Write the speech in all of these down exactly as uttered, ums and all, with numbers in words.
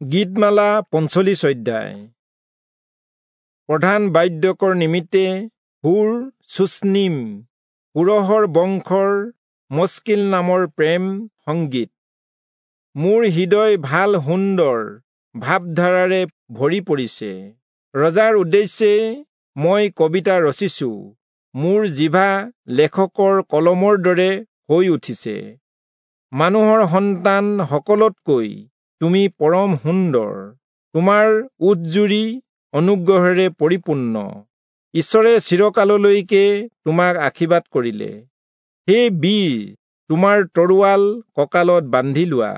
গীতমালা পঞ্চল্লিশ অধ্যায়। প্ৰধান বাদ্যকৰ নিমিত্তে হুৰ চুচনিম কোৰহৰ বংশৰ মস্কিল নামৰ প্ৰেম সংগীত। মোৰ হৃদয় ভাল সুন্দৰ ভাৱধাৰাৰে ভৰি পৰিছে। ৰজাৰ উদ্দেশ্যে মই কবিতা ৰচিছো, মোৰ জিভা লেখকৰ কলমৰ দৰে হৈ উঠিছে। মানুহৰ সন্তান সকলোতকৈ তুমি পৰম সুন্দৰ, তোমাৰ ওঁঠজুৰি অনুগ্ৰহেৰে পৰিপূৰ্ণ। ঈশ্বৰে চিৰকাললৈকে তোমাক আশীৰ্বাদ কৰিলে। হে বীৰ, তোমাৰ তৰোৱাল কঁকালত বান্ধি লোৱা,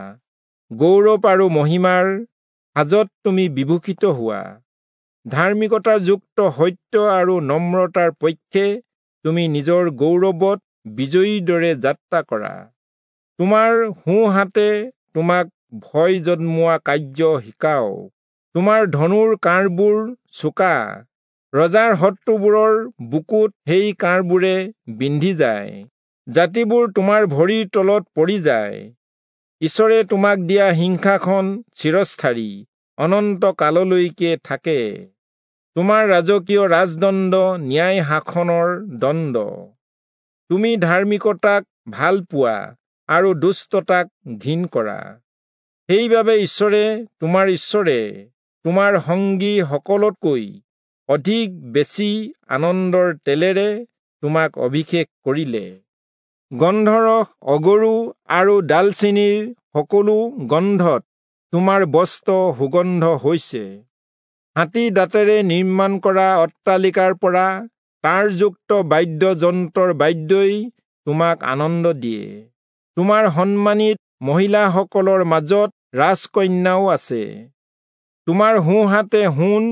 গৌৰৱ আৰু মহিমাৰ সাজত তুমি বিভূষিত হোৱা। ধাৰ্মিকতাযুক্ত সত্য আৰু নম্ৰতাৰ পক্ষে তুমি নিজৰ গৌৰৱত বিজয়ীৰ দৰে যাত্ৰা কৰা। তোমাৰ সোঁহাতে তোমাক ভয় জন্মোৱা কাৰ্য শিকাওক। তোমাৰ ধনুৰ কাঁড়বোৰ চোকা, ৰজাৰ শত্ৰুবোৰৰ বুকুত সেই কাঁড়বোৰে বিন্ধি যায়। জাতিবোৰ তোমাৰ ভৰিৰ তলত পৰি যায়। ঈশ্বৰে তোমাক দিয়া সিংহাসন চিৰস্থায়ী, অনন্ত কাললৈকে থাকে। তোমাৰ ৰাজকীয় ৰাজদণ্ড ন্যায় শাসনৰ দণ্ড। তুমি ধাৰ্মিকতাক ভাল পোৱা আৰু দুষ্টতাক ঘিণ কৰা। সেইবাবে ঈশ্বৰে তোমাৰ ঈশ্বৰে তোমাৰ সংগী সকলোতকৈ অধিক বেছি আনন্দৰ তেলেৰে তোমাক অভিষেক কৰিলে। গন্ধৰস, অগৰু আৰু ডালচেনিৰ সকলো গন্ধত তোমাৰ বস্ত্ৰ সুগন্ধ হৈছে। হাতী দাঁতেৰে নিৰ্মাণ কৰা অট্টালিকাৰ পৰা তাঁৰযুক্ত বাদ্যযন্ত্ৰৰ বাদ্যই তোমাক আনন্দ দিয়ে। তোমাৰ সন্মানিত মহিলাসকলৰ মাজত ৰাজকন্যাও আছে। তোমাৰ সোঁহাতে সোণ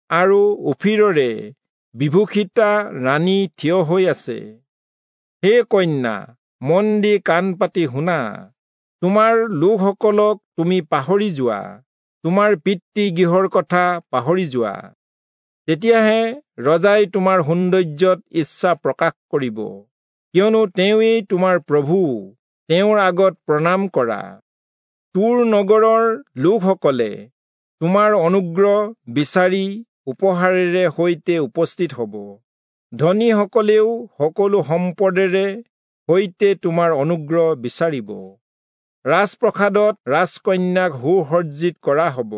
আৰু ওফিৰৰে বিভূষিতা ৰাণী থিয় হৈ আছে। হে কন্যা, মন দি কাণ পাতি শুনা। তোমাৰ লোকসকলক তুমি পাহৰি যোৱা, তোমাৰ পিতৃ গৃহৰ কথা পাহৰি যোৱা। তেতিয়াহে ৰজাই তোমাৰ সৌন্দৰ্যত ইচ্ছা প্ৰকাশ কৰিব, কিয়নো তেওঁৱেই তোমাৰ প্ৰভু, তেওঁৰ আগত প্ৰণাম কৰা। তোৰ নগৰৰ লোকসকলে তোমাৰ অনুগ্ৰহ বিচাৰি উপহাৰেৰে সৈতে উপস্থিত হ'ব। ধনীসকলেও সকলো সম্পদেৰে সৈতে তোমাৰ অনুগ্ৰহ বিচাৰিব। ৰাজপ্ৰসাদত ৰাজকন্যাক সুসজ্জিত কৰা হ'ব,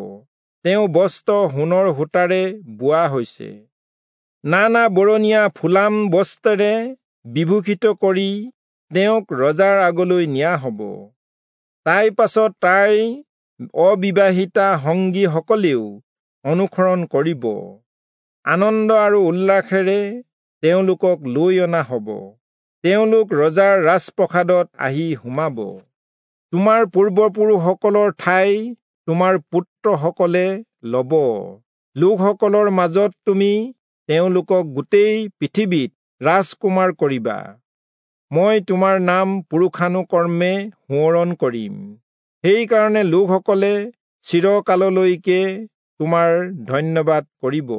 তেওঁ বস্ত্ৰ সোণৰ সূতাৰে বোৱা হৈছে। নানা বৰণীয়া ফুলাম বস্ত্ৰেৰে বিভূষিত কৰি তেওঁক ৰজাৰ আগলৈ নিয়া হ'ব। তাইৰ পাছত তাইৰ অবিবাহিতা সংগীসকলেও অনুসৰণ কৰিব। আনন্দ আৰু উল্লাসেৰে তেওঁলোকক লৈ অনা হ'ব, তেওঁলোক ৰজাৰ ৰাজপ্ৰসাদত আহি সোমাব। তোমাৰ পূৰ্বপুৰুষসকলৰ ঠাই তোমাৰ পুত্ৰসকলে ল'ব। লোকসকলৰ মাজত তুমি তেওঁলোকক গোটেই পৃথিৱীত ৰাজকুমাৰ কৰিবা। মই তোমাৰ নাম পুৰুষানুকৰ্মে সোঁৱৰণ কৰিম, সেইকাৰণে লোকসকলে চিৰকাললৈকে তোমাৰ ধন্যবাদ কৰিব।